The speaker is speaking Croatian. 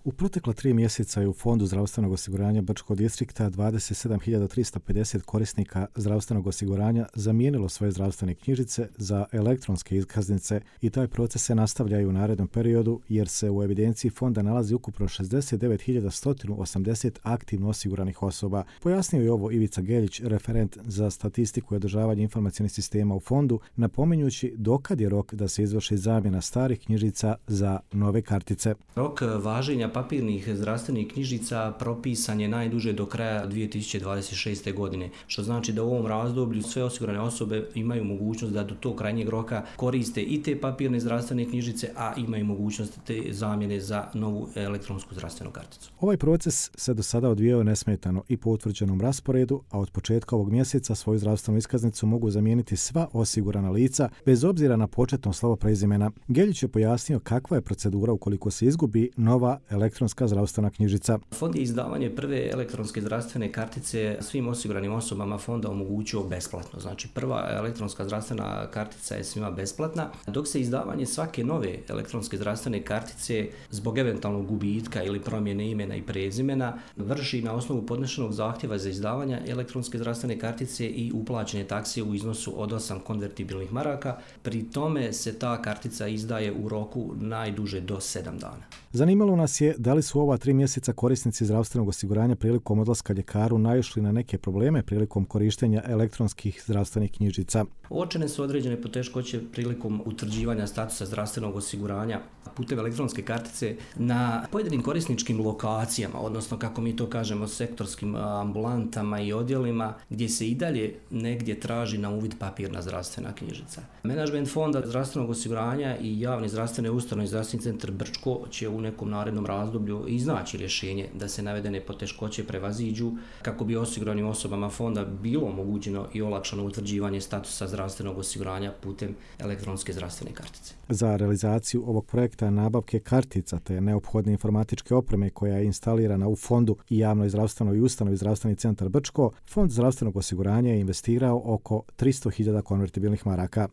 U protekla 3 mjeseca je u Fondu zdravstvenog osiguranja Brčkog distrikta 27.350 korisnika zdravstvenog osiguranja zamijenilo svoje zdravstvene knjižice za elektronske iskaznice i taj proces se nastavlja i u narednom periodu jer se u evidenciji fonda nalazi ukupno 69.180 aktivno osiguranih osoba. Pojasnio je ovo Ivica Geljić, referent za statistiku i održavanje informacionih sistema u fondu, napominjući dokad je rok da se izvrši zamjena starih knjižica za nove kartice. Rok važenja papirnih zdravstvenih knjižica propisan je najduže do kraja 2026. godine, što znači da u ovom razdoblju sve osigurane osobe imaju mogućnost da do tog krajnjeg roka koriste i te papirne zdravstvene knjižice, a imaju mogućnost te zamjene za novu elektronsku zdravstvenu karticu. Ovaj proces se do sada odvijao nesmetano i po utvrđenom rasporedu, a od početka ovog mjeseca svoju zdravstvenu iskaznicu mogu zamijeniti sva osigurana lica bez obzira na početno slovo prezimena. Geljić je pojasnio kakva je procedura ukoliko se izgubi nova elektronska zdravstvena knjižica. Fond je izdavanje prve elektronske zdravstvene kartice svim osiguranim osobama fonda omogućio besplatno. Znači prva elektronska zdravstvena kartica je svima besplatna, dok se izdavanje svake nove elektronske zdravstvene kartice zbog eventualnog gubitka ili promjene imena i prezimena vrši na osnovu podnešenog zahtjeva za izdavanje elektronske zdravstvene kartice i uplaćene takse u iznosu od 8 konvertibilnih maraka. Pri tome se ta kartica izdaje u roku najduže do 7 dana. Zanimalo nas je da li su ova 3 mjeseca korisnici zdravstvenog osiguranja prilikom odlaska ljekaru naišli na neke probleme prilikom korištenja elektronskih zdravstvenih knjižica. Uočene su određene poteškoće prilikom utvrđivanja statusa zdravstvenog osiguranja putem elektronske kartice na pojedinim korisničkim lokacijama, odnosno kako mi to kažemo sektorskim ambulantama i odjelima, gdje se i dalje negdje traži na uvid papirna zdravstvena knjižica. Menadžment Fonda zdravstvenog osiguranja i javne zdravstvene ustanove Zdravstveni centar Brčko će u nekom narednom razdoblju iznaći rješenje da se navedene poteškoće prevaziđu kako bi osiguranim osobama fonda bilo omogućeno i olakšano utvrđivanje statusa zdravstvenog osiguranja putem elektronske zdravstvene kartice. Za realizaciju ovog projekta nabavke kartica te neophodne informatičke opreme koja je instalirana u fondu i javnoj zdravstvenoj ustanovi Zdravstveni centar Brčko, Fond zdravstvenog osiguranja je investirao oko 300.000 konvertibilnih maraka.